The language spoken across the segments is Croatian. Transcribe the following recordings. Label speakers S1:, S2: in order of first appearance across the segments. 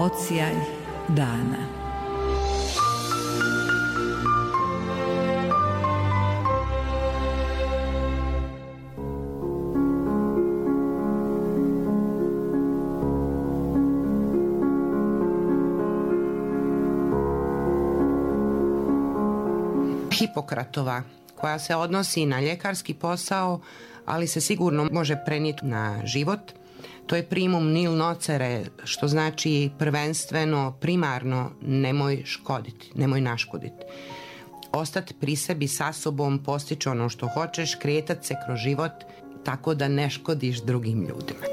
S1: Odsjaj dana.
S2: Hipokratova, koja se odnosi na ljekarski posao, ali se sigurno može prenijeti na život. To je primum nil nocere, što znači prvenstveno, primarno, nemoj škoditi, nemoj naškoditi. Ostati pri sebi sa sobom, postići ono što hoćeš, kretati se kroz život tako da ne škodiš drugim ljudima.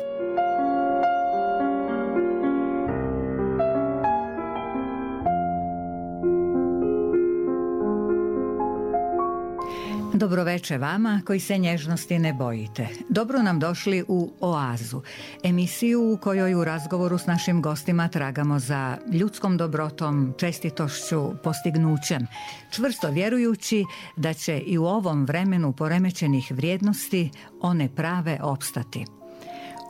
S1: Dobroveče vama koji se nježnosti ne bojite. Dobro nam došli u Oazu, emisiju u kojoj u razgovoru s našim gostima tragamo za ljudskom dobrotom, čestitošću, postignućem, čvrsto vjerujući da će i u ovom vremenu poremećenih vrijednosti one prave opstati.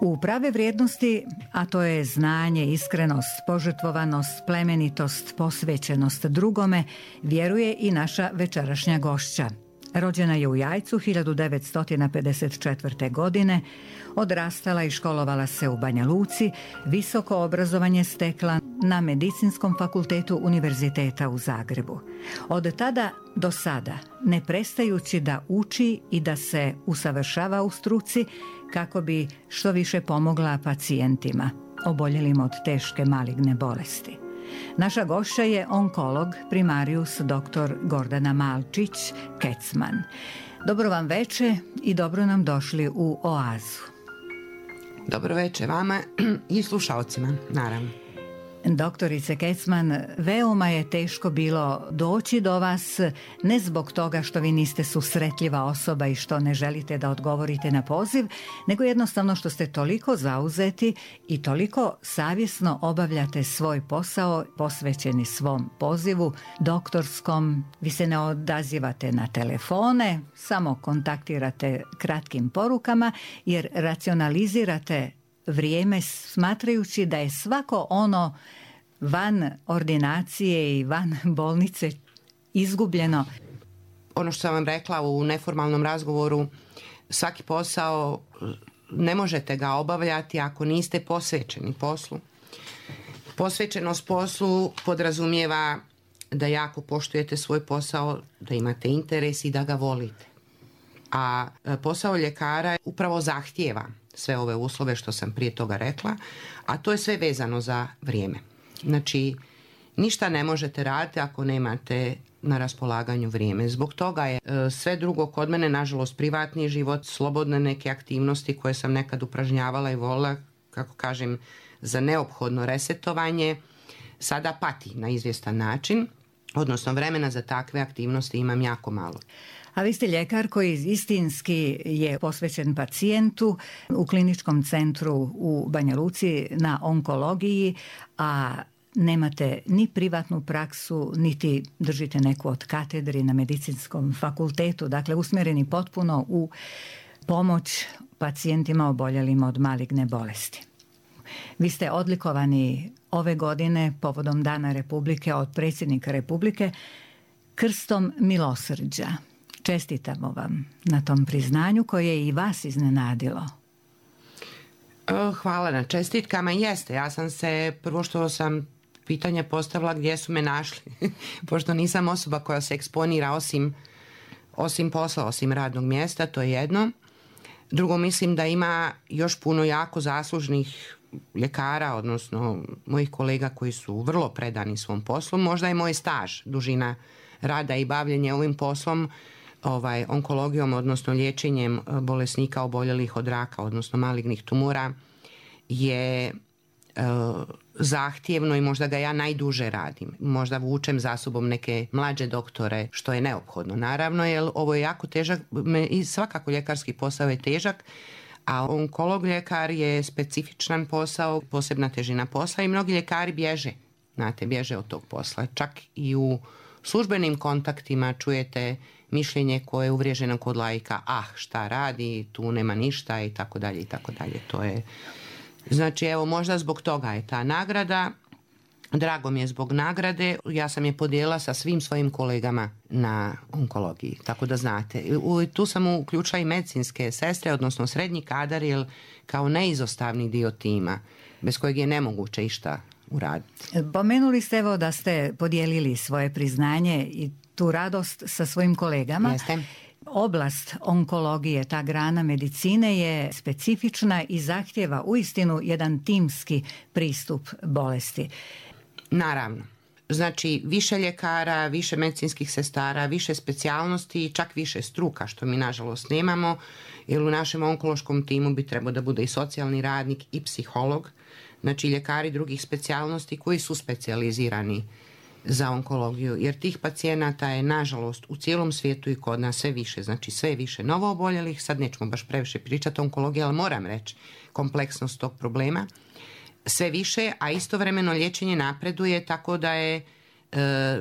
S1: U prave vrijednosti, a to je znanje, iskrenost, požrtvovanost, plemenitost, posvećenost drugome, vjeruje i naša večerašnja gošća. Rođena je u Jajcu 1954. godine, odrastala i školovala se u Banja Luci, visoko obrazovanje stekla na Medicinskom fakultetu Univerziteta u Zagrebu. Od tada do sada, ne prestajući da uči i da se usavršava u struci kako bi što više pomogla pacijentima oboljelim od teške maligne bolesti. Naša gošća je onkolog primarius dr. Gordana Malčić-Kecman. Dobro vam veče i dobro nam došli u Oazu.
S2: Dobro veče vama i slušalcima, naravno.
S1: Doktorice Kecman, veoma je teško bilo doći do vas, ne zbog toga što vi niste susretljiva osoba i što ne želite da odgovorite na poziv, nego jednostavno što ste toliko zauzeti i toliko savjesno obavljate svoj posao, posvećeni svom pozivu doktorskom. Vi se ne odazivate na telefone, samo kontaktirate kratkim porukama jer racionalizirate vrijeme smatrajući da je svako ono van ordinacije i van bolnice izgubljeno.
S2: Ono što sam vam rekla u neformalnom razgovoru, svaki posao ne možete ga obavljati ako niste posvećeni poslu. Posvećenost poslu podrazumijeva da jako poštujete svoj posao, da imate interes i da ga volite. A posao ljekara upravo zahtijeva sve ove uslove što sam prije toga rekla, a to je sve vezano za vrijeme. Znači, ništa ne možete raditi ako nemate na raspolaganju vrijeme. Zbog toga je sve drugo kod mene, nažalost, privatni život, slobodne neke aktivnosti koje sam nekad upražnjavala i volila, kako kažem, za neophodno resetovanje, sada pati na izvjestan način, odnosno vremena za takve aktivnosti imam jako malo.
S1: A vi ste ljekar koji istinski je posvećen pacijentu u kliničkom centru u Banja Luci na onkologiji, a nemate ni privatnu praksu, niti držite neku od katedri na Medicinskom fakultetu, dakle usmjereni potpuno u pomoć pacijentima oboljelim od maligne bolesti. Vi ste odlikovani ove godine povodom Dana Republike od predsjednika Republike krstom milosrđa. Čestitamo vam na tom priznanju koje je i vas iznenadilo.
S2: Hvala na čestitkama. Jeste, ja sam se, prvo što sam pitanje postavila gdje su me našli, pošto nisam osoba koja se eksponira osim posla, osim radnog mjesta, to je jedno. Drugo, mislim da ima još puno jako zaslužnih ljekara, odnosno mojih kolega koji su vrlo predani svom poslu. Možda je moj staž, dužina rada i bavljenje ovim poslom, onkologijom, odnosno liječenjem bolesnika oboljelih od raka, odnosno malignih tumora, je zahtjevno i možda ga ja najduže radim. Možda vučem za sobom neke mlađe doktore, što je neophodno, naravno, jer ovo je jako težak i svakako ljekarski posao je težak, a onkolog ljekar je specifičan posao, posebna težina posla i mnogi ljekari bježe od tog posla. Čak i u službenim kontaktima čujete mišljenje koje je uvriježeno kod laika, šta radi, tu nema ništa i tako dalje i tako dalje. To je, znači, evo, možda zbog toga je ta nagrada, Drago mi je zbog nagrade, ja sam je podijelila sa svim svojim kolegama na onkologiji, tako da znate. Tu sam uključila i medicinske sestre, odnosno srednji kadar, jer kao neizostavni dio tima, bez kojeg je nemoguće išta uraditi.
S1: Pomenuli ste evo da ste podijelili svoje priznanje i tu radost sa svojim kolegama.
S2: Jeste.
S1: Oblast onkologije, ta grana medicine je specifična i zahtjeva uistinu jedan timski pristup bolesti.
S2: Naravno. Znači više ljekara, više medicinskih sestara, više specijalnosti i čak više struka, što mi nažalost nemamo, jer u našem onkološkom timu bi trebao da bude i socijalni radnik i psiholog, znači ljekari drugih specijalnosti koji su specijalizirani za onkologiju, jer tih pacijenata je nažalost u cijelom svijetu i kod nas sve više, znači sve više novo oboljelih, sad nećemo baš previše pričati o onkologiji, ali moram reći kompleksnost tog problema, sve više, a istovremeno liječenje napreduje tako da je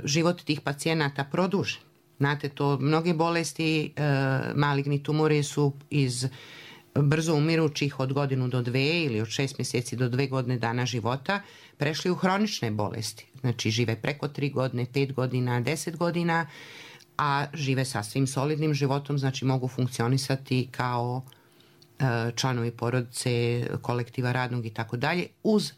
S2: život tih pacijenata produžen. Znate, to mnoge bolesti, maligni tumori su iz brzo umirućih od 1 do 2 ili od 6 mjeseci do 2 godine dana života prešli u hronične bolesti. Znači žive preko 3 godine, 5 godina, 10 godina, a žive sasvim solidnim životom, znači mogu funkcionisati kao članovi porodice, kolektiva radnog i tako dalje, uz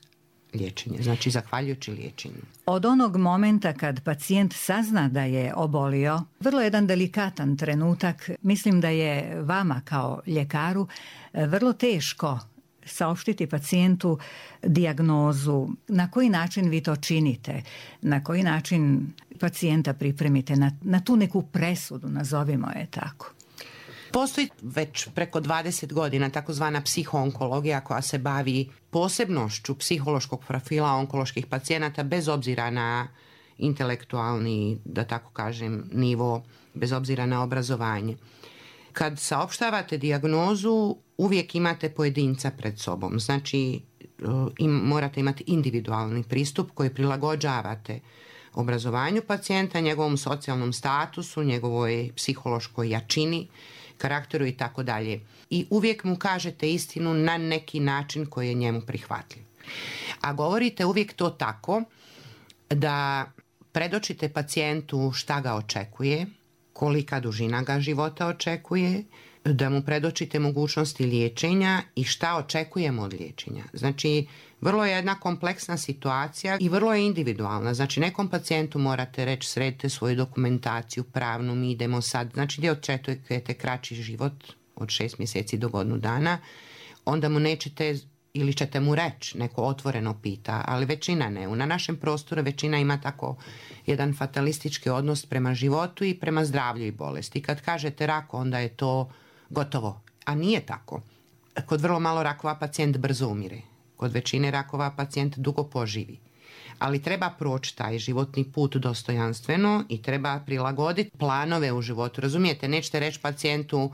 S2: liječenje, znači zahvaljujući liječenju.
S1: Od onog momenta kad pacijent sazna da je obolio, vrlo jedan delikatan trenutak, mislim da je vama kao ljekaru vrlo teško saopštiti pacijentu dijagnozu. Na koji način vi to činite? Na koji način pacijenta pripremite na tu neku presudu, nazovimo je tako?
S2: Postoji već preko 20 godina takozvana psihoonkologija koja se bavi posebnošću psihološkog profila onkoloških pacijenata bez obzira na intelektualni, da tako kažem, nivo, bez obzira na obrazovanje. Kad saopštavate dijagnozu, uvijek imate pojedinca pred sobom. Znači, morate imati individualni pristup koji prilagođavate obrazovanju pacijenta, njegovom socijalnom statusu, njegovoj psihološkoj jačini, karakteru i tako dalje. I uvijek mu kažete istinu na neki način koji je njemu prihvatljiv. A govorite uvijek to tako da predočite pacijentu šta ga očekuje, kolika dužina ga života očekuje, da mu predočite mogućnosti liječenja i šta očekujemo od liječenja. Znači, vrlo je jedna kompleksna situacija i vrlo je individualna. Znači, nekom pacijentu morate reći sredite svoju dokumentaciju pravnu, mi idemo sad, znači gdje očekujete kraći život od 6 mjeseci do 1 dana, onda mu nećete ili ćete mu reći, neko otvoreno pita, ali većina ne. Na našem prostoru većina ima tako jedan fatalistički odnos prema životu i prema zdravlju i bolesti. Kad kažete rak, onda je to gotovo. A nije tako. Kod vrlo malo rakova pacijent brzo umire. Kod većine rakova pacijent dugo poživi. Ali treba proći taj životni put dostojanstveno i treba prilagoditi planove u životu. Razumijete? Nećete reći pacijentu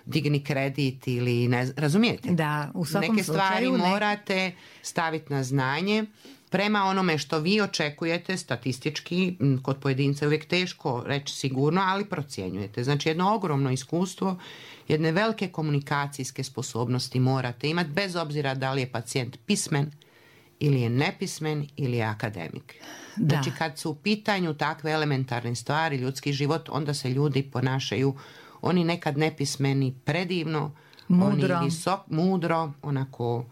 S2: digni kredit ili ne, razumijete?
S1: Da, u svakom
S2: neke stvari morate staviti na znanje prema onome što vi očekujete statistički. Kod pojedinca je uvijek teško reći sigurno, ali procjenjujete. Znači jedno ogromno iskustvo, jedne velike komunikacijske sposobnosti morate imati bez obzira da li je pacijent pismen ili je nepismen ili je akademik.
S1: Da.
S2: Znači kad su u pitanju takve elementarne stvari, ljudski život, onda se ljudi ponašaju, oni nekad nepismeni predivno,
S1: mudro,
S2: oni mudro, onako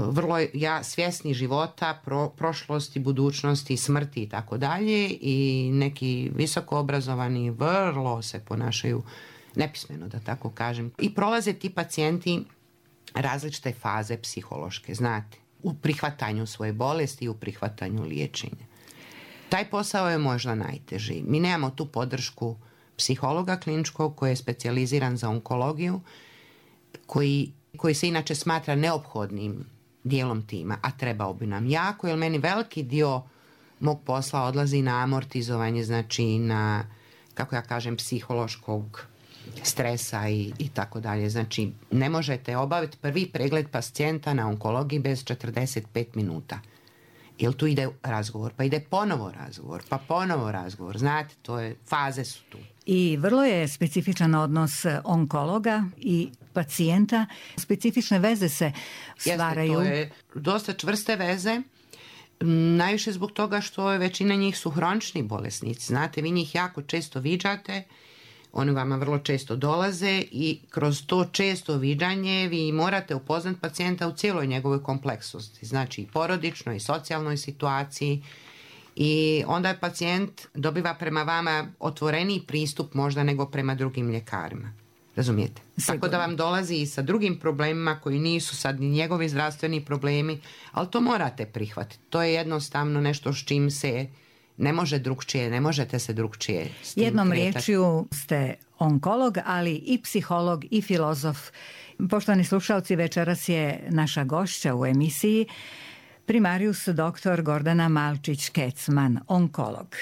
S2: vrlo svjesni života, prošlosti, budućnosti, smrti i tako dalje, i neki visoko obrazovani vrlo se ponašaju nepismeno, da tako kažem. I prolaze ti pacijenti različite faze psihološke, znate, u prihvatanju svoje bolesti i u prihvatanju liječenja. Taj posao je možda najteži. Mi nemamo tu podršku psihologa kliničkog koji je specijaliziran za onkologiju, koji se inače smatra neophodnim dijelom tima, a trebao bi nam jako, jer meni veliki dio mog posla odlazi na amortizovanje, znači na, kako ja kažem, psihološkog stresa i tako dalje. Znači, ne možete obaviti prvi pregled pacijenta na onkologiji bez 45 minuta. Jer tu ide razgovor, pa ide ponovo razgovor. Znate, faze su tu.
S1: I vrlo je specifičan odnos onkologa i pacijenta. Specifične veze se stvaraju.
S2: Jeste, to je dosta čvrste veze. Najviše zbog toga što većina njih su hronični bolesnici. Znate, vi njih jako često viđate, oni vama vrlo često dolaze i kroz to često viđanje vi morate upoznati pacijenta u cijeloj njegovoj kompleksnosti. Znači i porodičnoj i socijalnoj situaciji. I onda je pacijent dobiva prema vama otvoreniji pristup možda nego prema drugim ljekarima. Razumijete? Sigurno. Tako da vam dolazi i sa drugim problemima koji nisu sad ni njegovi zdravstveni problemi, ali to morate prihvatiti. To je jednostavno nešto s čim se ne može drugčije, ne možete se drugčije s tim
S1: Jednom
S2: kretati.
S1: riječju ste onkolog, ali i psiholog i filozof. Poštovani slušalci, večeras je naša gošća u emisiji primarius dr. Gordana Malčić-Kecman, onkolog.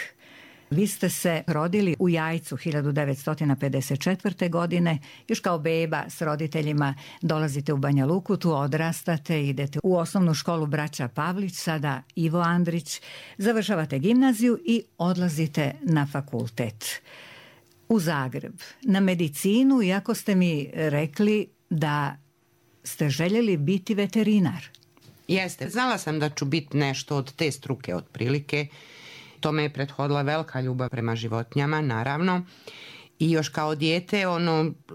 S1: Vi ste se rodili u Jajcu 1954. godine, još kao beba s roditeljima dolazite u Banja Luku, tu odrastate, idete u osnovnu školu Braća Pavlić, sada Ivo Andrić, završavate gimnaziju i odlazite na fakultet u Zagreb, na medicinu, iako ste mi rekli da ste željeli biti veterinar.
S2: Jeste, znala sam da ću biti nešto od te struke otprilike. Tome je prethodila velika ljubav prema životinjama, naravno. I još kao dijete,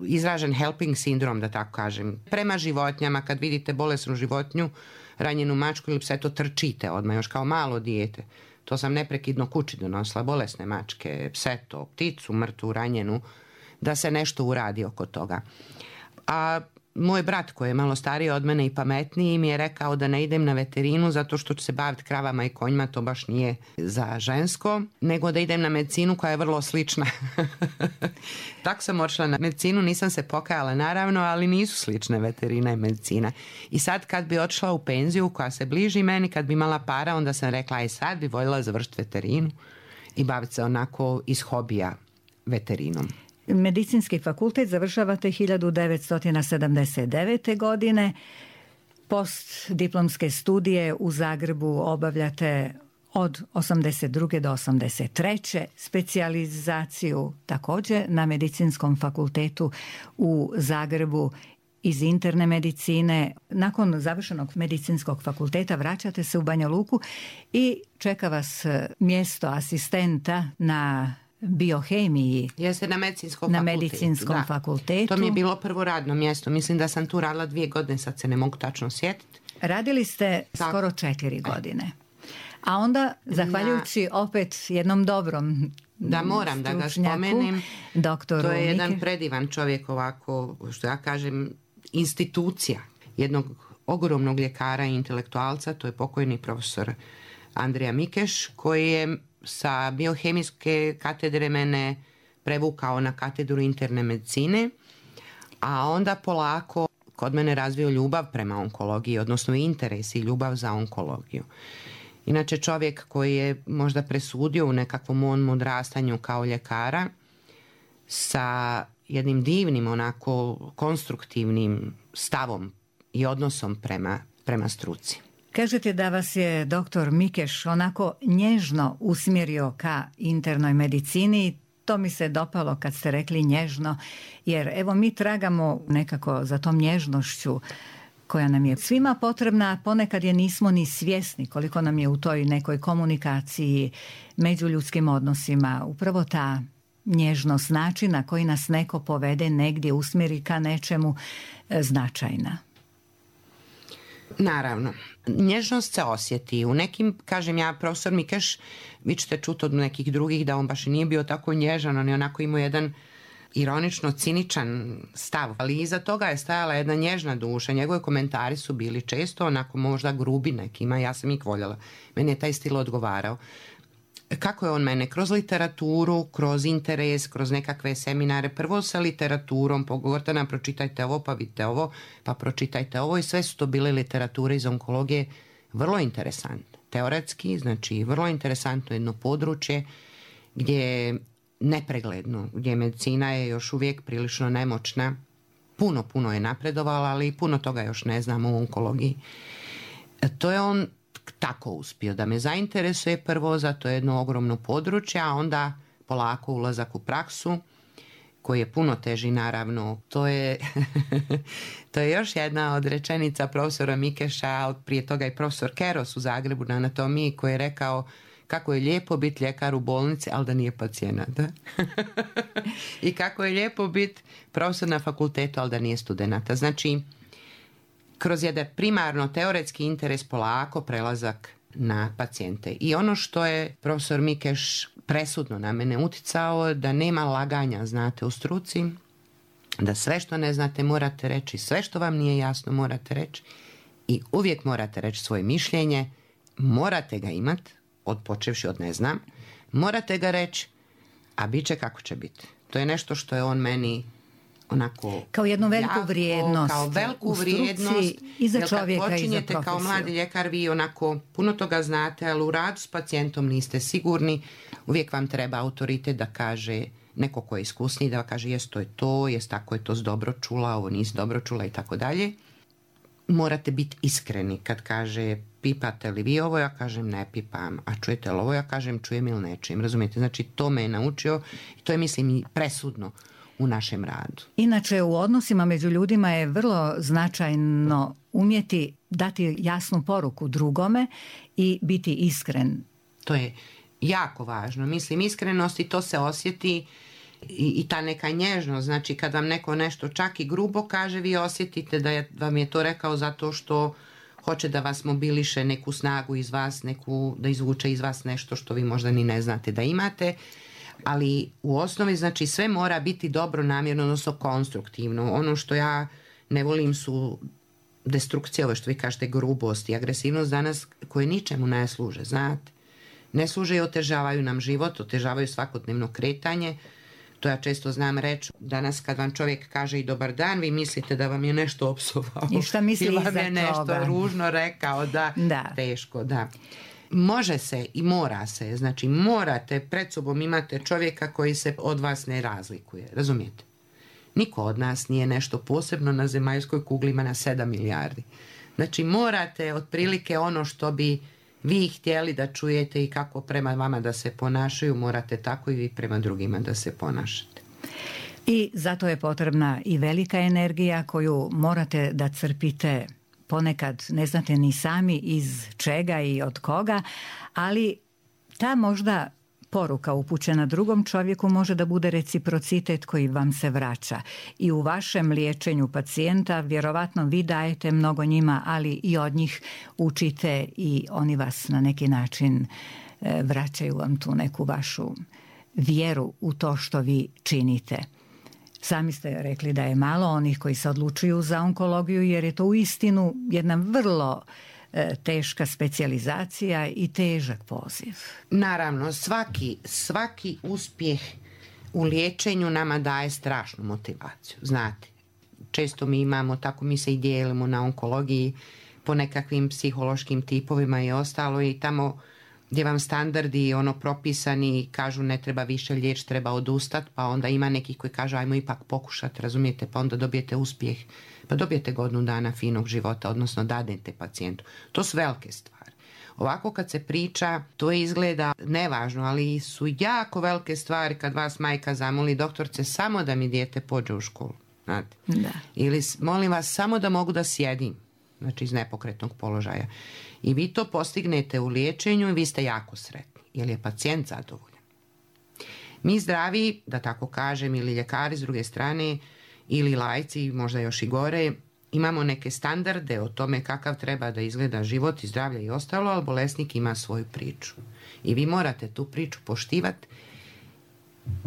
S2: izražen helping sindrom, da tako kažem. Prema životinjama, kad vidite bolesnu životinju, ranjenu mačku ili pse, to trčite odmah, još kao malo dijete. To sam neprekidno kući donosila, bolesne mačke, pseto, pticu, mrtvu, ranjenu, da se nešto uradi oko toga. A moj brat, koji je malo stariji od mene i pametniji, mi je rekao da ne idem na veterinu zato što ću se baviti kravama i konjima, to baš nije za žensko, nego da idem na medicinu koja je vrlo slična. Tako sam odšla na medicinu, nisam se pokajala naravno, ali nisu slične veterina i medicina. I sad kad bi odšla u penziju koja se bliži meni, kad bi imala para, onda sam rekla aj sad bi voljela završiti veterinu i baviti se onako iz hobija veterinom.
S1: Medicinski fakultet završavate 1979. godine. Postdiplomske studije u Zagrebu obavljate od 82. do 83. Specijalizaciju također na Medicinskom fakultetu u Zagrebu iz interne medicine. Nakon završenog medicinskog fakulteta vraćate se u Banja Luku i čeka vas mjesto asistenta na biohemiji.
S2: Jeste na medicinskom fakultetu. To mi je bilo prvo radno mjesto. Mislim da sam tu radila 2 godine, sad se ne mogu tačno sjetiti.
S1: Radili ste skoro 4 godine. A onda, zahvaljujući opet jednom dobrom
S2: da moram da ga spomenem,
S1: doktoru
S2: to je jedan predivan čovjek, ovako, što ja kažem, institucija jednog ogromnog ljekara i intelektualca, to je pokojni profesor Andrija Mikeš, koji je sa biohemijske katedre mene prevukao na katedru interne medicine, a onda polako kod mene razvio ljubav prema onkologiji, odnosno interes i ljubav za onkologiju. Inače čovjek koji je možda presudio u nekakvom mom odrastanju kao ljekara sa jednim divnim, onako konstruktivnim stavom i odnosom prema struci.
S1: Kažete da vas je doktor Mikeš onako nježno usmjerio ka internoj medicini. To mi se dopalo kad ste rekli nježno, jer evo mi tragamo nekako za tom nježnošću koja nam je svima potrebna, a ponekad je nismo ni svjesni koliko nam je u toj nekoj komunikaciji, međuljudskim odnosima upravo ta nježnost, način na koji nas neko povede negdje, usmjeri ka nečemu, značajna.
S2: Naravno, nježnost se osjeti. U nekim, kažem ja, profesor Mikeš, vi ćete čuti od nekih drugih da on baš i nije bio tako nježan, on je onako imao jedan ironično ciničan stav, ali iza toga je stajala jedna nježna duša. Njegovi komentari su bili često onako možda grubi nekima, ja sam ih voljela. Meni je taj stil odgovarao. Kako je on mene? Kroz literaturu, kroz interes, kroz nekakve seminare. Prvo sa literaturom, Gordana, pročitajte ovo, pa vidite ovo, pa pročitajte ovo, i sve su to bile literature iz onkologije vrlo interesantne. Teoretski, znači vrlo interesantno jedno područje gdje je nepregledno, gdje medicina je još uvijek prilično nemoćna. Puno je napredovala, ali puno toga još ne znamo u onkologiji. To je on tako uspio da me zainteresuje prvo za to jedno ogromno područje, a onda polako ulazak u praksu koji je puno teži naravno. To je još jedna od rečenica profesora Mikeša, prije toga i profesor Keros u Zagrebu na anatomiji, koji je rekao kako je lijepo biti ljekar u bolnici, ali da nije pacijent. I kako je lijepo biti profesor na fakultetu, ali da nije studenata. Znači, kroz jedan primarno teoretski interes polako prelazak na pacijente. I ono što je profesor Mikeš presudno na mene uticao, da nema laganja, znate, u struci, da sve što ne znate morate reći, sve što vam nije jasno morate reći i uvijek morate reći svoje mišljenje, morate ga imati, počevši od ne znam, morate ga reći, a bit će kako će biti. To je nešto što je on meni onako
S1: kao jednu veliku vrijednost,
S2: kao veliku vrijednost
S1: i za čovjeka i za
S2: počinjete kao mladi ljekar, vi onako puno toga znate, ali u radu s pacijentom niste sigurni, uvijek vam treba autoritet da kaže, neko ko je iskusniji da kaže jest to je to, jest tako je to dobro čula, ovo nisi dobro čula i tako dalje. Morate biti iskreni kad kaže pipate li vi ovo, ja kažem ne pipam, a čujete li ovo, ja kažem čujem ili ne čujem, razumijete? Znači to me je naučio i to je mislim presudno u našem radu.
S1: Inače u odnosima među ljudima je vrlo značajno umjeti dati jasnu poruku drugome i biti iskren.
S2: To je jako važno. Mislim, iskrenost i to se osjeti i ta neka nježnost. Znači kad vam neko nešto čak i grubo kaže, vi osjetite da vam je to rekao zato što hoće da vas mobiliše, neku snagu iz vas, da izvuče iz vas nešto što vi možda ni ne znate da imate. Ali u osnovi znači sve mora biti dobro namjerno, odnosno konstruktivno. Ono što ja ne volim su destrukcije, ovo što vi kažete, grubost i agresivnost danas koje ničemu ne služe, znate. Ne služe i otežavaju nam život, otežavaju svakodnevno kretanje. To ja često znam reći, danas kad vam čovjek kaže i dobar dan, vi mislite da vam je nešto opsovao.
S1: I šta misli
S2: ili
S1: iza
S2: vam je nešto
S1: toga
S2: ružno rekao, da, teško, da. Može se i mora se, znači morate, pred sobom imate čovjeka koji se od vas ne razlikuje, razumijete? Niko od nas nije nešto posebno na zemaljskoj kugli, ima na 7 milijardi. Znači morate otprilike ono što bi vi htjeli da čujete i kako prema vama da se ponašaju, morate tako i vi prema drugima da se ponašate.
S1: I zato je potrebna i velika energija koju morate da crpite ponekad ne znate ni sami iz čega i od koga, ali ta možda poruka upućena drugom čovjeku može da bude reciprocitet koji vam se vraća. I u vašem liječenju pacijenta vjerovatno vi dajete mnogo njima, ali i od njih učite i oni vas na neki način vraćaju vam tu neku vašu vjeru u to što vi činite. Sami ste rekli da je malo onih koji se odlučuju za onkologiju jer je to uistinu jedna vrlo teška specijalizacija i težak poziv.
S2: Naravno, svaki uspjeh u liječenju nama daje strašnu motivaciju. Znate, često mi imamo, tako mi se i dijelimo na onkologiji po nekakvim psihološkim tipovima i ostalo i tamo gdje vam standardi propisani kažu ne treba više liječiti, treba odustati, pa onda ima nekih koji kažu ajmo ipak pokušati, razumijete, pa onda dobijete uspjeh, pa dobijete godinu dana finog života, odnosno dadete pacijentu. To su velike stvari. Ovako kad se priča, to izgleda nevažno, ali su jako velike stvari kad vas majka zamoli doktorce samo da mi dijete pođe u školu. Znate?
S1: Da.
S2: Ili molim vas samo da mogu da sjedim, znači iz nepokretnog položaja. I vi to postignete u liječenju i vi ste jako sretni, jer je pacijent zadovoljan. Mi zdravi, da tako kažem, ili ljekari s druge strane, ili laici, možda još i gore, imamo neke standarde o tome kakav treba da izgleda život i zdravlje i ostalo, ali bolesnik ima svoju priču. I vi morate tu priču poštivati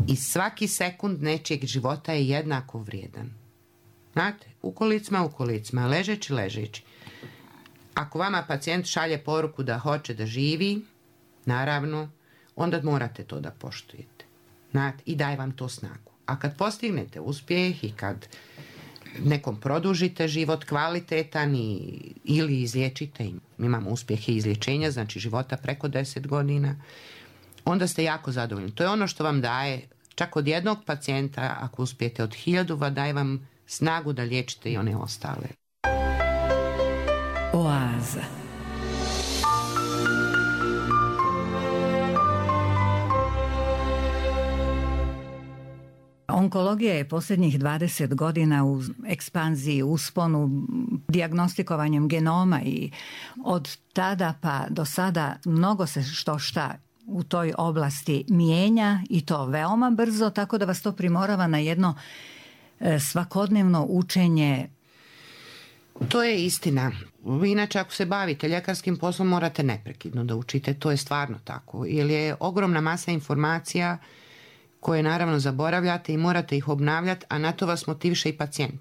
S2: i svaki sekund nečijeg života je jednako vrijedan. Znate, u kolicima, ležeći. Ako vama pacijent šalje poruku da hoće da živi, naravno, onda morate to da poštujete. Znate, i daje vam to snagu. A kad postignete uspjeh i kad nekom produžite život kvalitetan ili izliječite, mi imamo uspjehe izliječenja, znači života preko 10 godina, onda ste jako zadovoljni. To je ono što vam daje, čak od jednog pacijenta, ako uspijete od 1000, daje vam snagu da liječite i one ostale.
S1: Oaza. Onkologija je posljednjih 20 godina u ekspanziji, usponu, dijagnostikovanjem genoma i od tada pa do sada mnogo se šta u toj oblasti mijenja i to veoma brzo, tako da vas to primorava na jedno svakodnevno učenje.
S2: To je istina. Inače, ako se bavite ljekarskim poslom, morate neprekidno da učite. To je stvarno tako. Jer je ogromna masa informacija koje naravno zaboravljate i morate ih obnavljati, a na to vas motiviše i pacijent.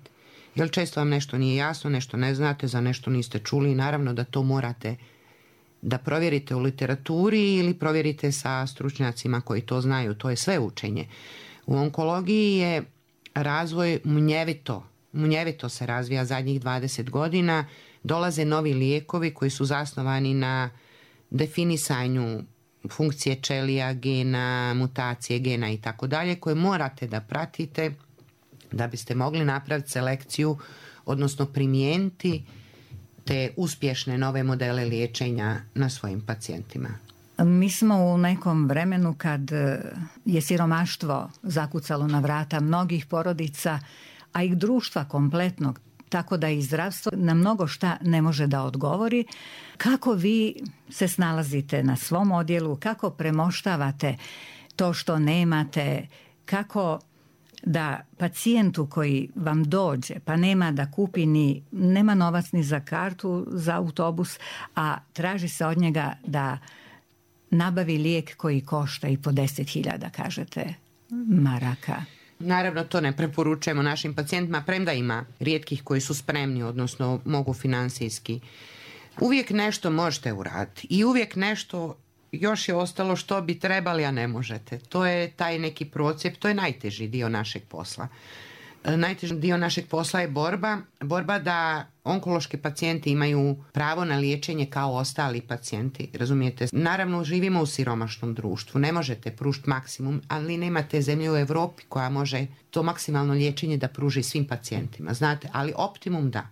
S2: Jer često vam nešto nije jasno, nešto ne znate, za nešto niste čuli i naravno da to morate da provjerite u literaturi ili provjerite sa stručnjacima koji to znaju. To je sve učenje. U onkologiji je razvoj munjevito se razvija zadnjih 20 godina. Dolaze novi lijekovi koji su zasnovani na definisanju funkcije ćelija, gena, mutacije gena i tako dalje, koje morate da pratite da biste mogli napraviti selekciju, odnosno primijeniti te uspješne nove modele liječenja na svojim pacijentima.
S1: Mi smo u nekom vremenu kad je siromaštvo zakucalo na vrata mnogih porodica, a i društva kompletnog, tako da i zdravstvo na mnogo šta ne može da odgovori. Kako vi se snalazite na svom odjelu, kako premoštavate to što nemate, kako da pacijentu koji vam dođe pa nema da kupi nema novac ni za kartu za autobus, a traži se od njega da nabavi lijek koji košta i po 10.000, kažete, maraka.
S2: Naravno, to ne preporučujemo našim pacijentima, premda ima rijetkih koji su spremni, odnosno mogu financijski. Uvijek nešto možete uraditi i uvijek nešto još je ostalo što bi trebali, a ne možete. To je taj neki procijep, to je najteži dio našeg posla. Najteži dio našeg posla je borba da onkološki pacijenti imaju pravo na liječenje kao ostali pacijenti, razumijete? Naravno, živimo u siromašnom društvu, ne možete pružiti maksimum, ali nemate zemlje u Europi koja može to maksimalno liječenje da pruži svim pacijentima, znate, ali optimum da.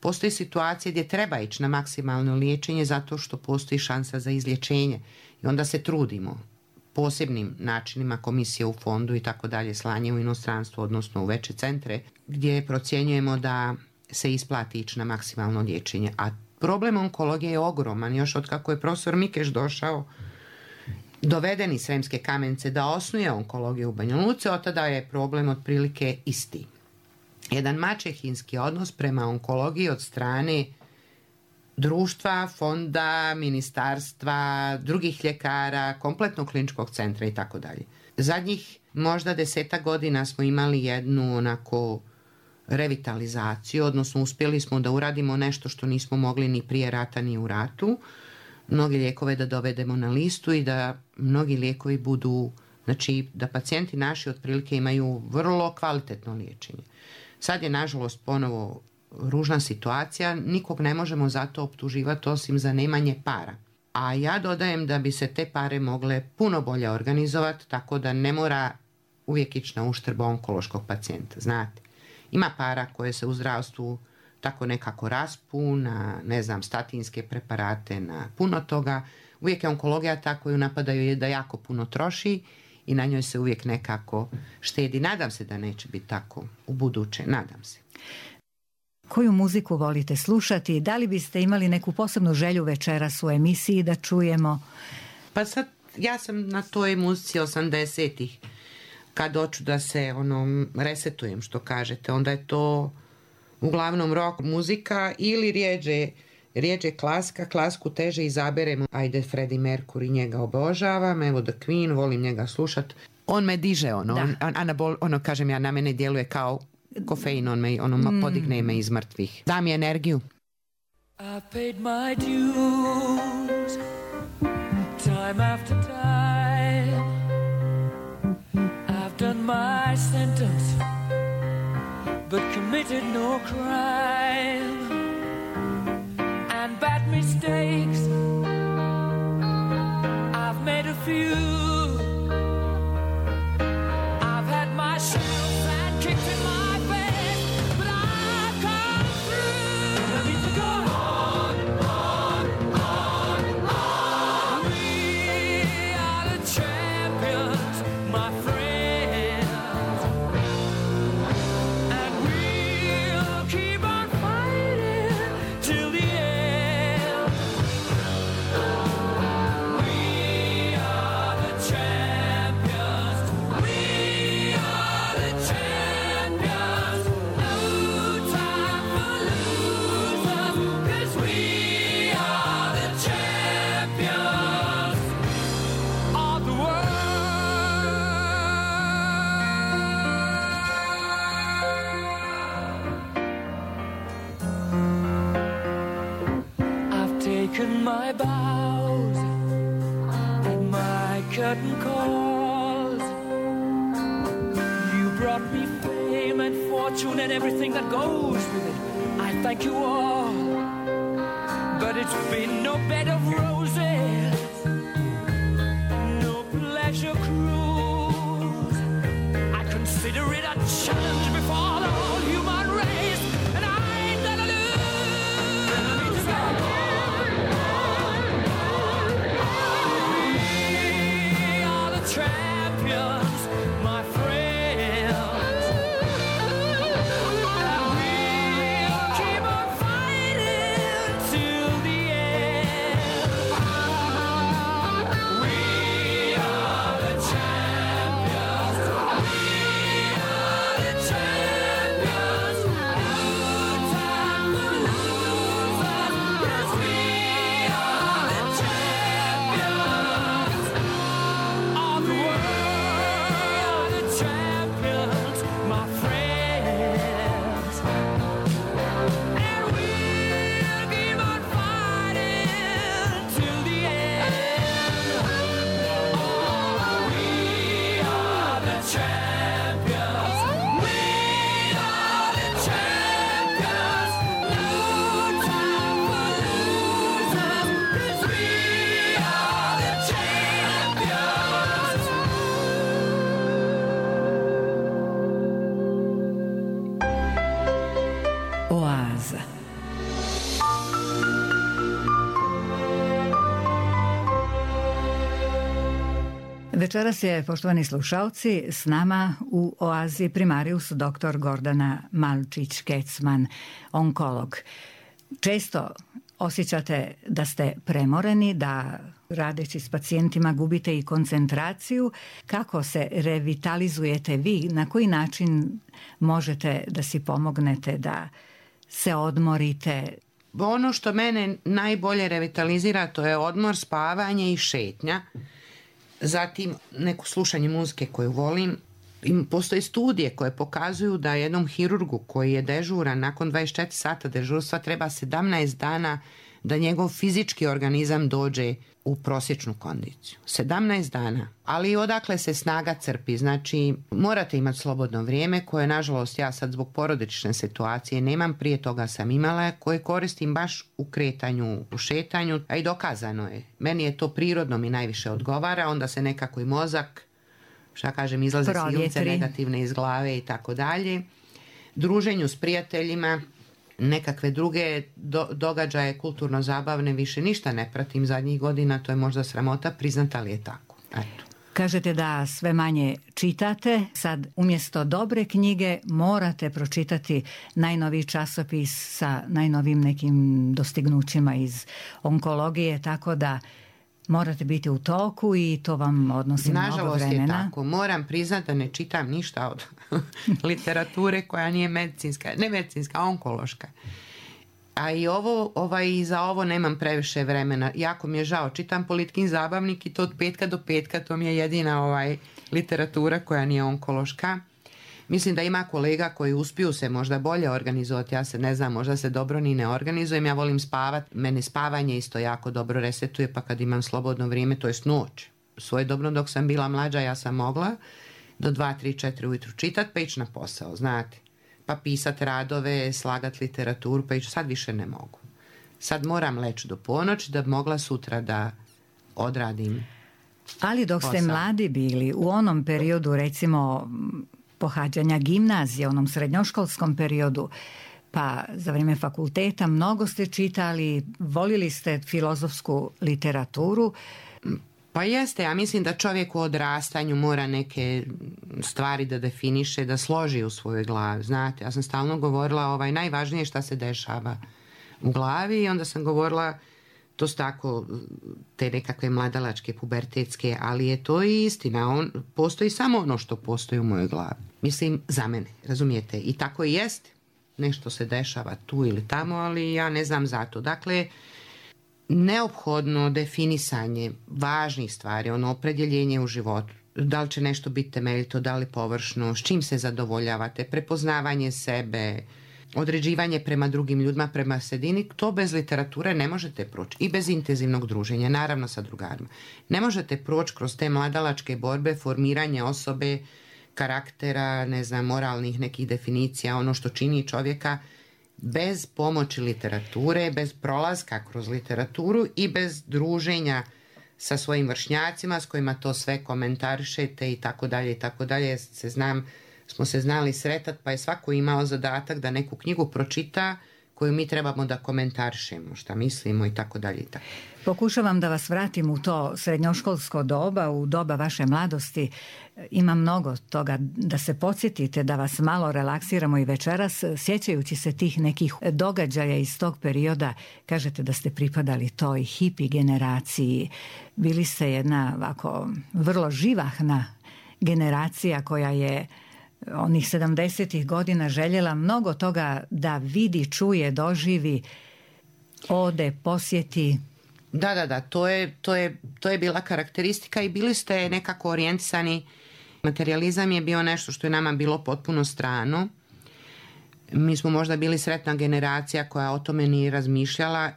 S2: Postoji situacije gdje treba ići na maksimalno liječenje zato što postoji šansa za izlječenje i onda se trudimo posebnim načinima, komisije u fondu i tako dalje, slanje u inostranstvo, odnosno u veće centre, gdje procjenjujemo da se isplati ići na maksimalno liječenje. A problem onkologije je ogroman. Još od kako je profesor Mikeš došao, doveden iz Sremske Kamenice da osnuje onkologiju u Banja Luci, od tada je problem otprilike isti. Jedan maćehinski odnos prema onkologiji od strane društva, fonda, ministarstva, drugih ljekara, kompletnog kliničkog centra i tako dalje. Zadnjih možda 10 godina smo imali jednu onako revitalizaciju, odnosno uspjeli smo da uradimo nešto što nismo mogli ni prije rata ni u ratu. Mnogi lijekove da dovedemo na listu i da mnogi lijekovi budu, znači da pacijenti naši otprilike imaju vrlo kvalitetno liječenje. Sad je nažalost ponovo ružna situacija, nikog ne možemo zato optuživati osim za nemanje para. A ja dodajem da bi se te pare mogle puno bolje organizovati, tako da ne mora uvijek ići na uštrb onkološkog pacijenta, znate. Ima para koje se u zdravstvu tako nekako raspu na, ne znam, statinske preparate, na puno toga. Uvijek je onkologija ta koju napadaju da jako puno troši i na njoj se uvijek nekako štedi. Nadam se da neće biti tako u buduće, nadam se.
S1: Koju muziku volite slušati? Da li biste imali neku posebnu želju večeras u emisiji da čujemo?
S2: Pa sad, ja sam na toj muzici 80-ih. Kad hoću da se resetujem, što kažete, onda je to uglavnom rock muzika ili rijeđe klasika. Klasku teže izaberemo. Ajde, Freddie Mercury, njega obožavam. Evo The Queen, volim njega slušat. On me diže, kažem ja, na mene djeluje kao kofein, podigne me iz mrtvih. Da mi energiju.
S3: I paid my dues time after time. I've done my sentence but committed no crime. And bad mistakes I've made a few. broken my bows and my curtain calls. You brought me fame and fortune and everything that goes with it. I thank you all, but it's been no bed of roses, no pleasure cruise. I consider it a challenge before the whole human race, and I ain't gonna lose. We are the champions, my friends, and we'll keep on fighting till the end. We are the champions. We are the champions. No time for losers, 'cause we are the champions of the world, the champions, my friends. And we'll keep on fighting till the end. Oh, we are the champions. We are the champions. No time for losers, 'cause we are the champions.
S1: Oaza. Večeras je, poštovani slušalci, s nama u Oazi primarius dr. Gordana Malčić-Kecman, onkolog. Često osjećate da ste premoreni, da radeći s pacijentima gubite i koncentraciju. Kako se revitalizujete vi? Na koji način možete da si pomognete, da se odmorite?
S2: Ono što mene najbolje revitalizira, to je odmor, spavanje i šetnja. Zatim neko slušanje muzike koju volim. Postoje studije koje pokazuju da jednom hirurgu koji je dežuran nakon 24 sata dežurstva treba 17 dana da njegov fizički organizam dođe u prosječnu kondiciju. 17 dana. Ali odakle se snaga crpi? Znači, morate imati slobodno vrijeme koje, nažalost, ja sad zbog porodične situacije nemam, prije toga sam imala, koje koristim baš u kretanju, u šetanju, a i dokazano je. Meni je to prirodno, mi najviše odgovara, onda se nekako i mozak, šta kažem, izlaze silce negativne iz glave i tako dalje. Druženju s prijateljima, nekakve druge događaje kulturno zabavne više ništa ne pratim zadnjih godina, to je možda sramota priznat, ali je tako. Eto.
S1: Kažete da sve manje čitate, sad umjesto dobre knjige morate pročitati najnoviji časopis sa najnovim nekim dostignućima iz onkologije, tako da morate biti u toku i to vam odnosi mnogo vremena.
S2: Nažalost je tako. Moram priznati da ne čitam ništa od literature koja nije medicinska, ne medicinska, onkološka. A i za ovo nemam previše vremena. Jako mi je žao. Čitam Politikin zabavnik i to od petka do petka. To mi je jedina literatura koja nije onkološka. Mislim da ima kolega koji uspiju se možda bolje organizovati. Ja se ne znam, možda se dobro ni ne organizujem. Ja volim spavati. Mene spavanje isto jako dobro resetuje, pa kad imam slobodno vrijeme, to je noć. Svojedobno dok sam bila mlađa, ja sam mogla do 2, 3, 4 ujutru čitati, pa ići na posao, znate. Pa pisati radove, slagati literaturu, pa ići. Sad više ne mogu. Sad moram leći do ponoći da bi mogla sutra da odradim.
S1: Ali dok ste mladi bili, u onom periodu, recimo, pohađanja gimnazije, onom srednjoškolskom periodu, pa za vrijeme fakulteta, mnogo ste čitali, volili ste filozofsku literaturu.
S2: Pa jeste, ja mislim da čovjek u odrastanju mora neke stvari da definiše, da složi u svojoj glavi. Znate, ja sam stalno govorila najvažnije šta se dešava u glavi i onda sam govorila, to su tako te nekakve mladalačke, pubertetske, ali je to i istina. Postoji samo ono što postoji u mojoj glavi. Mislim, za mene, razumijete? I tako i jest. Nešto se dešava tu ili tamo, ali ja ne znam za to. Dakle, neophodno definisanje važnih stvari, opredjeljenje u životu. Da li će nešto biti temeljito, da li površno, s čim se zadovoljavate, prepoznavanje sebe, određivanje prema drugim ljudima, prema sredini, to bez literature ne možete proći. I bez intenzivnog druženja, naravno sa drugarima. Ne možete proći kroz te mladalačke borbe, formiranje osobe, karaktera, ne znam, moralnih nekih definicija, ono što čini čovjeka, bez pomoći literature, bez prolaska kroz literaturu i bez druženja sa svojim vršnjacima s kojima to sve komentarišete i tako dalje, smo se znali sretati, pa je svako imao zadatak da neku knjigu pročita koju mi trebamo da komentarišemo, šta mislimo i tako dalje.
S1: Pokušavam da vas vratim u to srednjoškolsko doba, u doba vaše mladosti. Ima mnogo toga da se podsjetite, da vas malo relaksiramo i večeras, sjećajući se tih nekih događaja iz tog perioda. Kažete da ste pripadali toj hipi generaciji. Bili ste jedna ovako vrlo živahna generacija koja je onih 70-ih godina željela mnogo toga da vidi, čuje, doživi, ode, posjeti.
S2: Da, to je bila karakteristika i bili ste nekako orijentisani. Materializam je bio nešto što je nama bilo potpuno strano. Mi smo možda bili sretna generacija koja o tome nije razmišljala.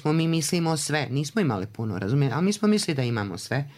S2: Mi mislimo sve. Nismo imali puno, razumijete, ali mi smo mislili da imamo sve.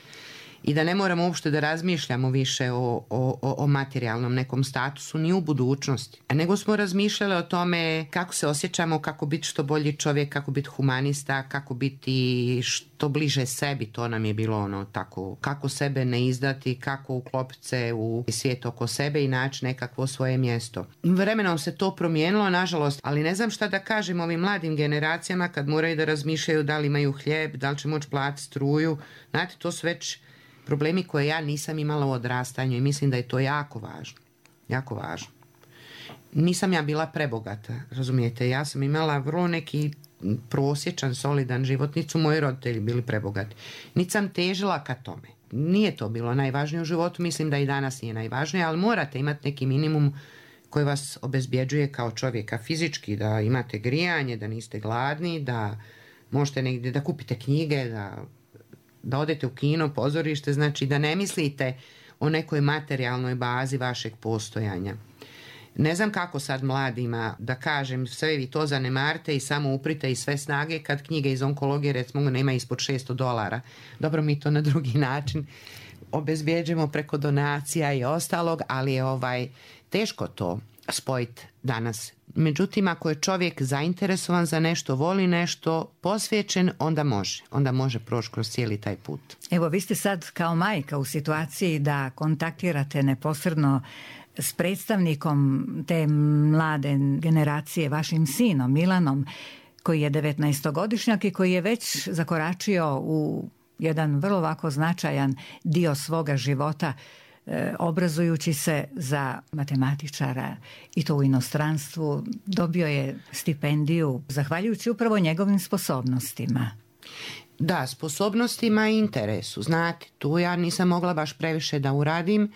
S2: I da ne moramo uopšte da razmišljamo više o materijalnom nekom statusu ni u budućnosti. Nego smo razmišljali o tome kako se osjećamo, kako biti što bolji čovjek, kako biti humanista, kako biti što bliže sebi. To nam je bilo ono tako, kako sebe ne izdati, kako uklopiti se u svijet oko sebe i naći nekakvo svoje mjesto. Vremenom se to promijenilo, nažalost, ali ne znam šta da kažem ovim mladim generacijama kad moraju da razmišljaju da li imaju hljeb, da li će moći platiti struju. Znate, to su već problemi koje ja nisam imala u odrastanju i mislim da je to jako važno. Jako važno. Nisam ja bila prebogata, razumijete. Ja sam imala vrlo neki prosječan, solidan život. Niti su moji roditelji bili prebogati. Niti sam težila ka tome. Nije to bilo najvažnije u životu. Mislim da i danas nije najvažnije, ali morate imati neki minimum koji vas obezbjeđuje kao čovjeka fizički, da imate grijanje, da niste gladni, da možete negdje da kupite knjige, da odete u kino, pozorište, znači da ne mislite o nekoj materijalnoj bazi vašeg postojanja. Ne znam kako sad mladima da kažem, sve vi to zanemarite i samo uprite i sve snage kad knjige iz onkologije recimo nema ispod $600. Dobro, mi to na drugi način obezbjeđujemo preko donacija i ostalog, ali je teško to spojiti danas. Međutim, ako je čovjek zainteresovan za nešto, voli nešto, posvećen, onda može proći kroz cijeli taj put.
S1: Evo, vi ste sad kao majka u situaciji da kontaktirate neposredno s predstavnikom te mlade generacije, vašim sinom Milanom, koji je 19-godišnjak i koji je već zakoračio u jedan vrlo ovako značajan dio svoga života, obrazujući se za matematičara i to u inostranstvu. Dobio je stipendiju zahvaljujući upravo njegovim sposobnostima.
S2: Da, sposobnostima i interesu. Znate, tu ja nisam mogla baš previše da uradim.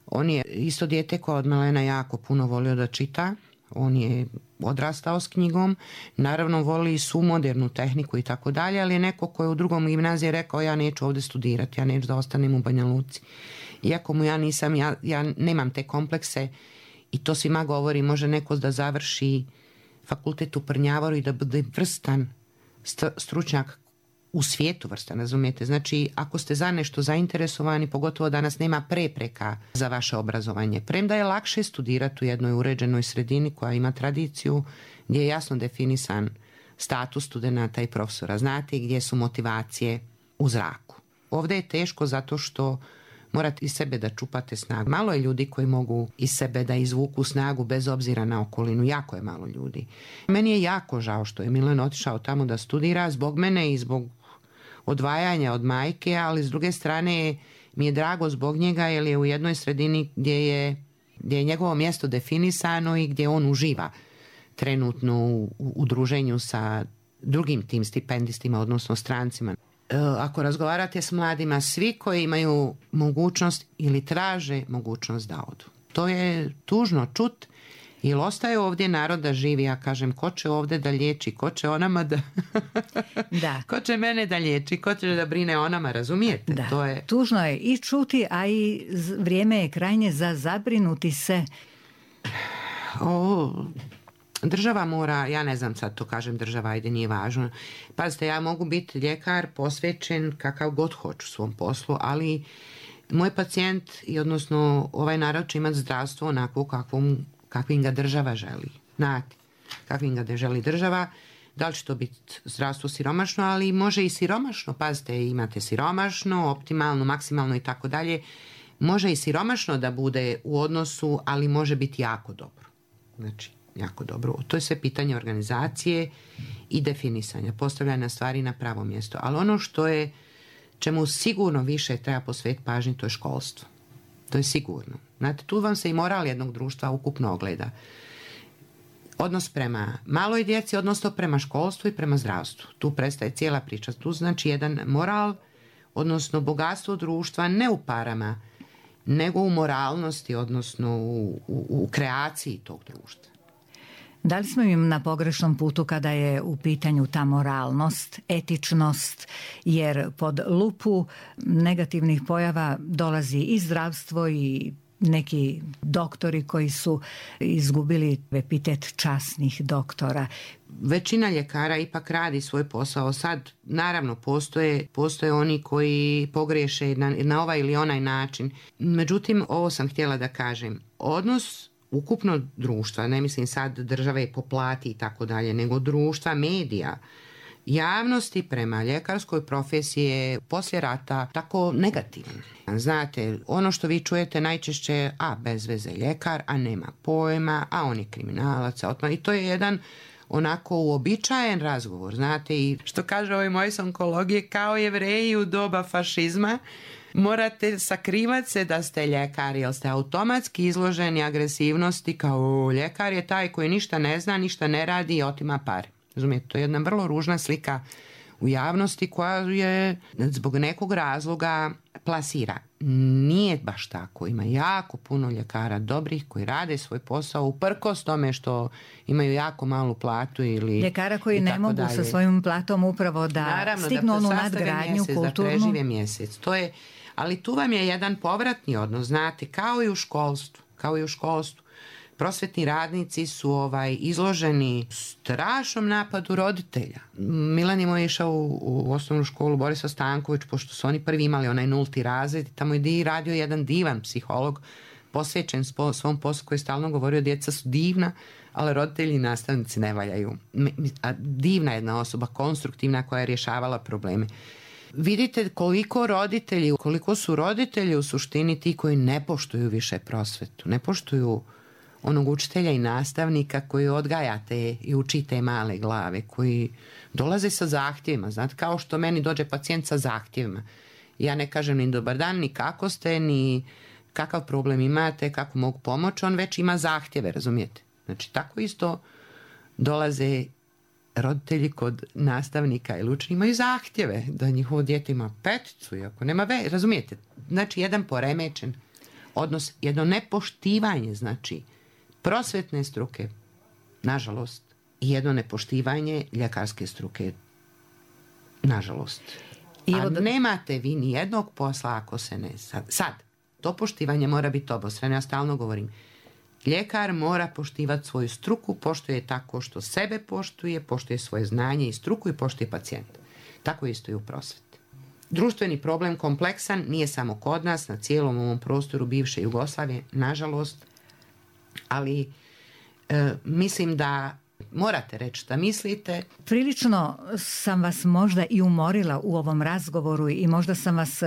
S2: On je isto dijete koje od malena jako puno volio da čita. On je odrastao s knjigom. Naravno voli svu modernu tehniku i tako dalje, ali je neko koji je u drugom gimnaziji rekao ja neću ovdje studirati, ja neću da ostanem u Banja Luci. Iako mu ja nemam te komplekse i to svima govori, može neko da završi fakultet u Prnjavoru i da bude vrstan stručnjak u svijetu, vrstan, razumijete? Znači, ako ste za nešto zainteresovani, pogotovo danas nema prepreka za vaše obrazovanje. Premda je lakše studirati u jednoj uređenoj sredini koja ima tradiciju, gdje je jasno definisan status studenata i profesora. Znate gdje su motivacije u zraku. Ovdje je teško zato što morate iz sebe da čupate snagu. Malo je ljudi koji mogu iz sebe da izvuku snagu bez obzira na okolinu. Jako je malo ljudi. Meni je jako žao što je Milan otišao tamo da studira zbog mene i zbog odvajanja od majke, ali s druge strane mi je drago zbog njega jer je u jednoj sredini gdje je njegovo mjesto definisano i gdje on uživa trenutno u druženju sa drugim tim stipendistima, odnosno strancima. Ako razgovarate s mladima, svi koji imaju mogućnost ili traže mogućnost da odu. To je tužno čut, jer ostaje ovdje narod da živi. Ja kažem, ko će ovdje da liječi, ko će o nama da...
S1: Da.
S2: Ko će mene da liječi, ko će da brine o nama, razumijete?
S1: Da.
S2: To je...
S1: Tužno je i čuti, a i vrijeme je krajnje za zabrinuti se.
S2: Država mora, ja ne znam sad to kažem država, ajde nije važno. Pazite, ja mogu biti ljekar posvećen kakav god hoću svom poslu, ali moj pacijent i odnosno ovaj narod će imati zdravstvo onako kakvim ga država želi. Znate, kakvim ga želi država. Da li će to biti zdravstvo siromašno, ali može i siromašno. Pazite, imate siromašno, optimalno, maksimalno i tako dalje. Može i siromašno da bude u odnosu, ali može biti jako dobro. Znači, jako dobro. To je sve pitanje organizacije i definisanja, postavljanja stvari na pravo mjesto. Ali ono čemu sigurno više treba posvetiti pažnji, to je školstvo. To je sigurno. Znate, tu vam se i moral jednog društva ukupno ogleda. Odnos prema maloj djeci, odnosno prema školstvu i prema zdravstvu. Tu prestaje cijela priča. Tu znači jedan moral, odnosno bogatstvo društva ne u parama, nego u moralnosti, odnosno u kreaciji tog društva.
S1: Da li smo im na pogrešnom putu kada je u pitanju ta moralnost, etičnost, jer pod lupu negativnih pojava dolazi i zdravstvo i neki doktori koji su izgubili epitet časnih doktora.
S2: Većina ljekara ipak radi svoj posao. Sad, naravno, postoje oni koji pogriješe na ovaj ili onaj način. Međutim, ovo sam htjela da kažem. Odnos ukupno društva, ne mislim sad države po plati i tako dalje, nego društva, medija, javnosti prema ljekarskoj profesiji je poslije rata tako negativan. Znate, ono što vi čujete najčešće, bez veze ljekar, a nema pojma, a on je kriminalac, i to je jedan onako uobičajen razgovor, znate, i što kaže ovaj moj s onkologije, kao Jevreji u doba fašizma, morate sakrivati se da ste ljekar, jer ste automatski izloženi agresivnosti, kao ljekar je taj koji ništa ne zna, ništa ne radi i otima pare. Razumijete, to je jedna vrlo ružna slika u javnosti koja je zbog nekog razloga plasira. Nije baš tako. Ima jako puno ljekara dobrih koji rade svoj posao uprkos tome što imaju jako malu platu ili
S1: ljekara koji ne mogu dalje sa svojim platom upravo da stignu onu nadgradnju kulturnu. Da
S2: prežive mjesec. To je, ali tu vam je jedan povratni odnos, znate, kao i u školstvu. Prosvetni radnici su izloženi strašnom napadu roditelja. Milan je moj išao u osnovnu školu Borisa Stanković, pošto su oni prvi imali onaj 0. razred. Tamo je radio jedan divan psiholog, posvećen svom poslu, koji je stalno govorio djeca su divna, ali roditelji i nastavnici ne valjaju. A divna jedna osoba, konstruktivna, koja je rješavala probleme. Vidite koliko su roditelji u suštini ti koji ne poštuju više prosvetu, ne poštuju onog učitelja i nastavnika koji odgajate i učite male glave, koji dolaze sa zahtjevima. Znate, kao što meni dođe pacijent sa zahtjevima. Ja ne kažem ni dobar dan, ni kako ste, ni kakav problem imate, kako mogu pomoći, on već ima zahtjeve, razumijete? Znači, tako isto dolaze roditelji kod nastavnika ili učenika, imaju zahtjeve da njihovo dijete ima 5, iako nema razumijete? Znači, jedan poremećen odnos, jedno nepoštivanje, znači, prosvetne struke, nažalost, i jedno nepoštivanje ljekarske struke, nažalost. A nemate vi ni jednog posla ako se ne... Sad, to poštivanje mora biti obostrano, ja stalno govorim. Ljekar mora poštivati svoju struku, poštuje tako što sebe poštuje svoje znanje i struku i poštuje pacijenta. Tako isto i u prosveti. Društveni problem kompleksan, nije samo kod nas, na cijelom ovom prostoru bivše Jugoslavije, nažalost, ali mislim da morate reći šta mislite.
S1: Prilično sam vas možda i umorila u ovom razgovoru i možda sam vas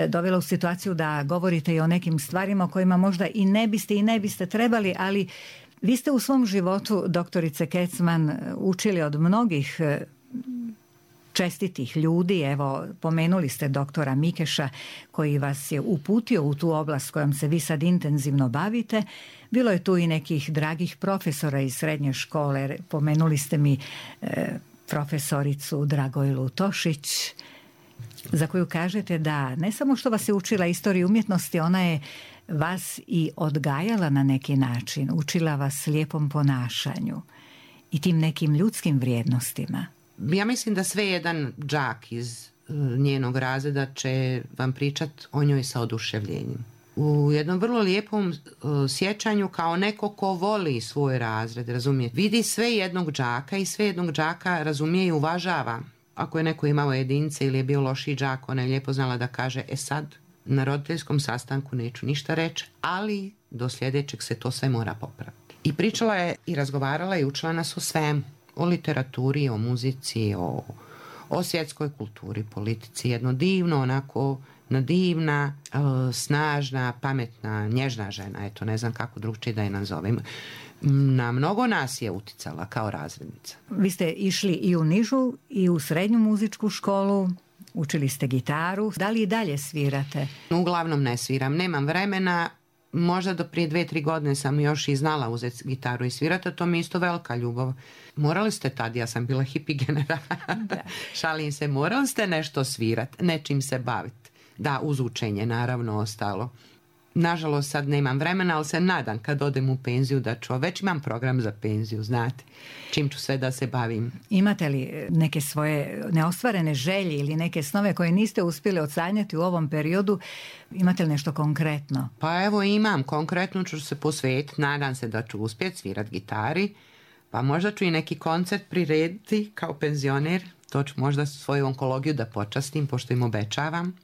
S1: dovela u situaciju da govorite i o nekim stvarima o kojima možda i ne biste trebali, ali vi ste u svom životu, doktorice Kecman, učili od mnogih čestitih ljudi. Evo, pomenuli ste doktora Mikeša koji vas je uputio u tu oblast kojom se vi sad intenzivno bavite. Bilo je tu i nekih dragih profesora iz srednje škole. Pomenuli ste mi profesoricu Dragojlu Tošić, za koju kažete da ne samo što vas je učila istoriju umjetnosti, ona je vas i odgajala na neki način, učila vas lijepom ponašanju i tim nekim ljudskim vrijednostima.
S2: Ja mislim da sve jedan đak iz njenog razreda će vam pričat o njoj sa oduševljenjem. u jednom vrlo lijepom sjećanju kao neko ko voli svoj razred, razumije. Vidi sve jednog đaka i sve jednog đaka razumije i uvažava. Ako je neko imao jedince ili je bio lošiji đak, ona je lijepo znala da kaže, sad na roditeljskom sastanku neću ništa reći, ali do sljedećeg se to sve mora popraviti. I pričala je i razgovarala i učila nas o svemu. O literaturi, o muzici, o svjetskoj kulturi, politici. Jedno divno, onako divna, snažna, pametna, nježna žena. Eto, ne znam kako drugčije da je nazovem. Na mnogo nas je uticala kao razrednica.
S1: Vi ste išli i u nižu i u srednju muzičku školu, učili ste gitaru. Da li i dalje svirate?
S2: Uglavnom ne sviram, nemam vremena. Možda do prije 2-3 godine sam još i znala uzeti gitaru i svirati, a to mi je isto velika ljubav. Morali ste tad, ja sam bila hippie generacija, šalim se, morali ste nešto svirati, nečim se baviti. Da, uz učenje naravno ostalo. Nažalost sad nemam vremena, ali se nadam kad odem u penziju da ću, već imam program za penziju, znate, čim ću sve da se bavim.
S1: Imate li neke svoje neostvarene želje ili neke snove koje niste uspjeli odsanjati u ovom periodu? Imate li nešto konkretno?
S2: Pa evo imam, konkretno ću se posvetiti, nadam se da ću uspjeti svirati gitari, pa možda ću i neki koncert prirediti kao penzioner, to ću možda svoju onkologiju da počastim, pošto im obećavam.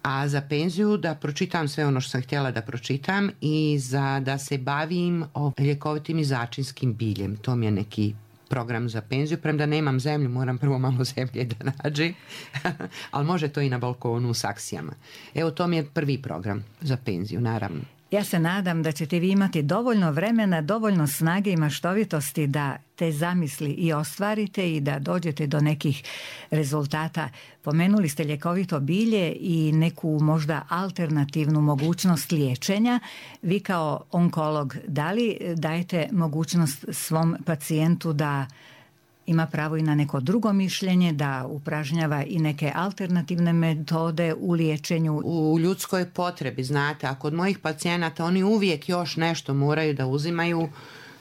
S2: A za penziju da pročitam sve ono što sam htjela da pročitam i da se bavim ljekovitim i začinskim biljem. To mi je neki program za penziju. Premda nemam zemlju, moram prvo malo zemlje da nađem. Ali može to i na balkonu u saksijama. Evo, to mi je prvi program za penziju, naravno.
S1: Ja se nadam da ćete vi imati dovoljno vremena, dovoljno snage i maštovitosti da te zamisli i ostvarite i da dođete do nekih rezultata. Pomenuli ste ljekovito bilje i neku možda alternativnu mogućnost liječenja. Vi kao onkolog, da li dajete mogućnost svom pacijentu da ima pravo i na neko drugo mišljenje, da upražnjava i neke alternativne metode u liječenju?
S2: U ljudskoj potrebi, znate, a kod mojih pacijenata oni uvijek još nešto moraju da uzimaju,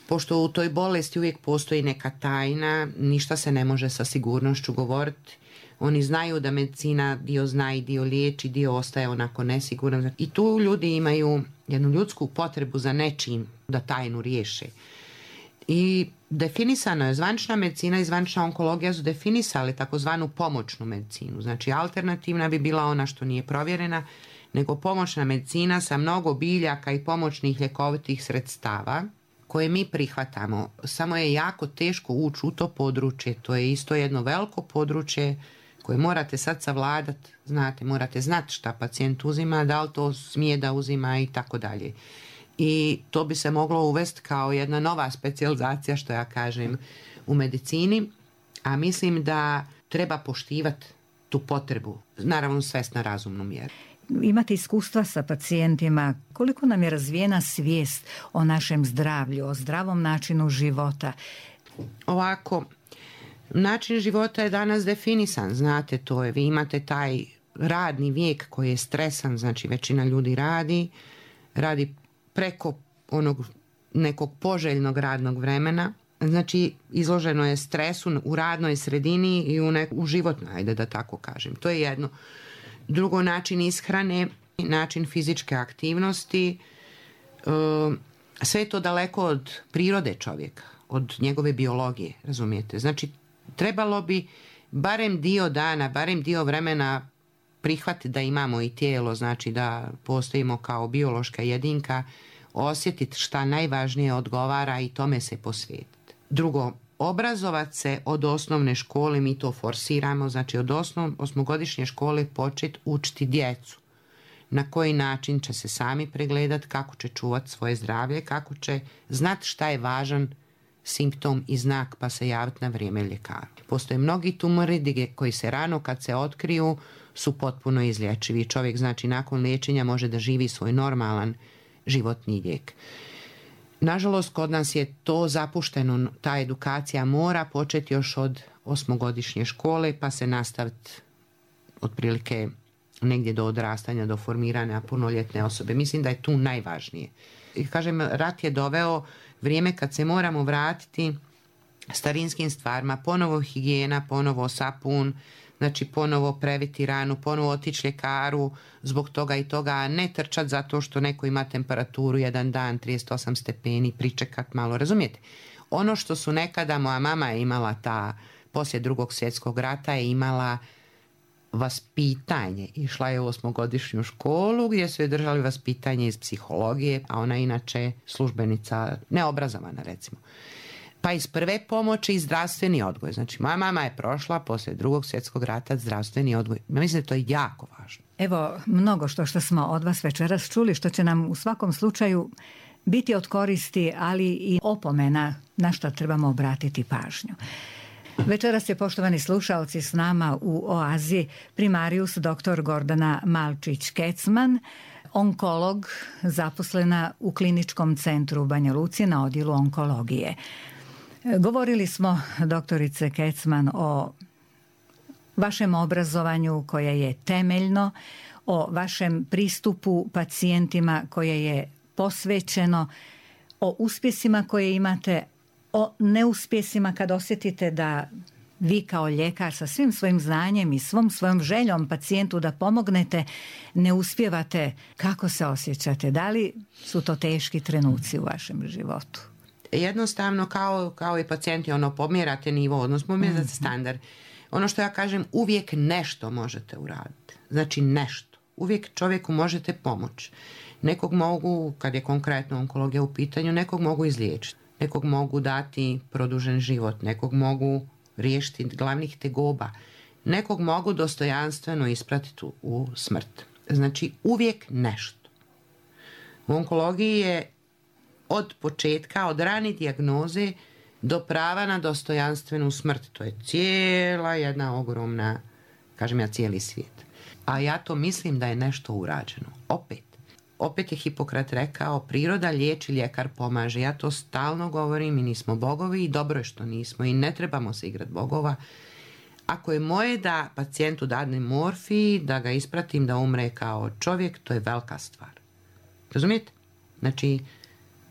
S2: pošto u toj bolesti uvijek postoji neka tajna, ništa se ne može sa sigurnošću govoriti. Oni znaju da medicina dio zna i dio liječi, dio ostaje onako nesiguran. I tu ljudi imaju jednu ljudsku potrebu za nečim da tajnu riješe. I definisano je, zvanična medicina i zvanična onkologija su definisali takozvanu pomoćnu medicinu. Znači alternativna bi bila ona što nije provjerena, nego pomoćna medicina sa mnogo biljaka i pomoćnih ljekovitih sredstava koje mi prihvatamo. Samo je jako teško ući u to područje. To je isto jedno veliko područje koje morate sad savladati. Znate, morate znati šta pacijent uzima, da li to smije da uzima i tako dalje. I to bi se moglo uvesti kao jedna nova specijalizacija, što ja kažem, u medicini, a mislim da treba poštivati tu potrebu, naravno svest na razumnu mjeru.
S1: Imate iskustva sa pacijentima, koliko nam je razvijena svijest o našem zdravlju, o zdravom načinu života?
S2: Ovako, način života je danas definisan, znate, to je, vi imate taj radni vijek koji je stresan, znači većina ljudi radi preko onog nekog poželjnog radnog vremena, znači izloženo je stresu u radnoj sredini i u životnoj, ajde da tako kažem. To je jedno. Drugo, način ishrane, način fizičke aktivnosti, sve je to daleko od prirode čovjeka, od njegove biologije, razumijete? Znači, trebalo bi barem dio dana, barem dio vremena prihvatiti da imamo i tijelo, znači da postojimo kao biološka jedinka, osjetiti šta najvažnije odgovara i tome se posvetiti. Drugo, obrazovati se od osnovne škole, mi to forsiramo, znači od osmogodišnje škole početi učiti djecu. Na koji način će se sami pregledati, kako će čuvati svoje zdravlje, kako će znati šta je važan simptom i znak pa se javiti na vrijeme ljekaru. Postoje mnogi tumori koji se rano kad se otkriju su potpuno izlječivi. Čovjek znači nakon liječenja može da živi svoj normalan životni vijek. Nažalost, kod nas je to zapušteno, ta edukacija mora početi još od osmogodišnje škole pa se nastaviti otprilike negdje do odrastanja, do formiranja punoljetne osobe. Mislim da je tu najvažnije. I kažem, rat je doveo vrijeme kad se moramo vratiti starinskim stvarima, ponovo higijena, ponovo sapun, Znači ponovo previti ranu, ponovo otići ljekaru zbog toga i toga, a ne trčati zato što neko ima temperaturu jedan dan 38 stepeni, pričekat malo, razumijete? Ono što su nekada, moja mama je imala poslije Drugog svjetskog rata je imala vaspitanje. Išla je u 8-godišnju školu gdje su je držali vaspitanje iz psihologije, a ona inače službenica, neobrazovana recimo. Pa iz prve pomoći i zdravstveni odgoj. Znači, moja mama je prošla poslije Drugog svjetskog rata zdravstveni odgoj. Ja mislim da to je jako važno.
S1: Evo, mnogo što smo od vas večeras čuli, što će nam u svakom slučaju biti od koristi, ali i opomena na što trebamo obratiti pažnju. Večeras je, poštovani slušaoci, s nama u Oazi primarijus dr. Gordana Malčić-Kecman, onkolog, zaposlena u Kliničkom centru u Banja Luci na odjelu onkologije. Govorili smo, doktorice Kecman, o vašem obrazovanju koje je temeljno, o vašem pristupu pacijentima koje je posvećeno, o uspjesima koje imate, o neuspjesima kad osjetite da vi kao ljekar sa svim svojim znanjem i svom svojom željom pacijentu da pomognete ne uspijevate. Kako se osjećate? Da li su to teški trenuci u vašem životu?
S2: Jednostavno kao i pacijenti, pomjerate nivo, odnosno pomjerate standard. Ono što ja kažem, uvijek nešto možete uraditi. Znači nešto. Uvijek čovjeku možete pomoći. Nekog mogu, kad je konkretno onkologija u pitanju, nekog mogu izliječiti. Nekog mogu dati produžen život. Nekog mogu riješiti glavnih tegoba. Nekog mogu dostojanstveno ispratiti u smrt. Znači uvijek nešto. U onkologiji je od početka, od rane dijagnoze do prava na dostojanstvenu smrt. To je cijela jedna ogromna, kažem ja, cijeli svijet. A ja to mislim da je nešto urađeno. Opet je Hipokrat rekao, priroda liječi, ljekar pomaže. Ja to stalno govorim, mi nismo bogovi i dobro je što nismo i ne trebamo se igrati bogova. Ako je moje da pacijentu dadnem morfij, da ga ispratim da umre kao čovjek, to je velika stvar. Razumijete? Znači,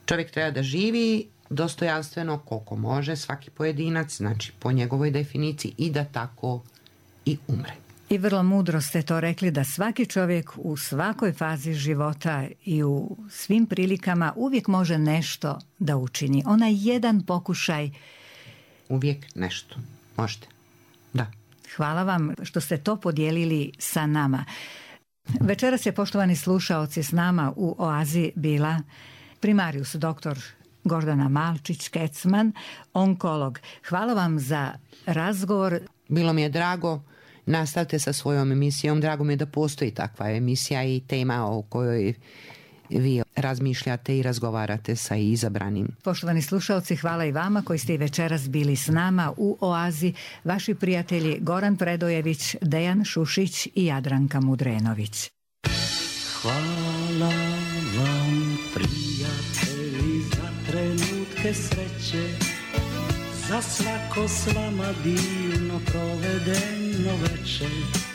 S2: čovjek treba da živi dostojanstveno koliko može, svaki pojedinac, znači po njegovoj definiciji, i da tako i umre.
S1: I vrlo mudro ste to rekli, da svaki čovjek u svakoj fazi života i u svim prilikama uvijek može nešto da učini. Onaj jedan pokušaj.
S2: Uvijek nešto. Možete. Da.
S1: Hvala vam što ste to podijelili sa nama. Večeras je, poštovani slušaoci, s nama u Oazi bila primarijus dr. Gordana Malčić-Kecman, onkolog. Hvala vam za razgovor.
S2: Bilo mi je drago. Nastavite sa svojom emisijom. Drago mi je da postoji takva emisija i tema o kojoj vi razmišljate i razgovarate sa izabranim.
S1: Poštovani slušalci, hvala i vama koji ste i večeras bili s nama u Oazi. Vaši prijatelji Goran Predojević, Dejan Šušić i Jadranka Mudrenović.
S4: Hvala vam, prijatelji, za trenutke sreće, za svako s vama divno provedeno večer.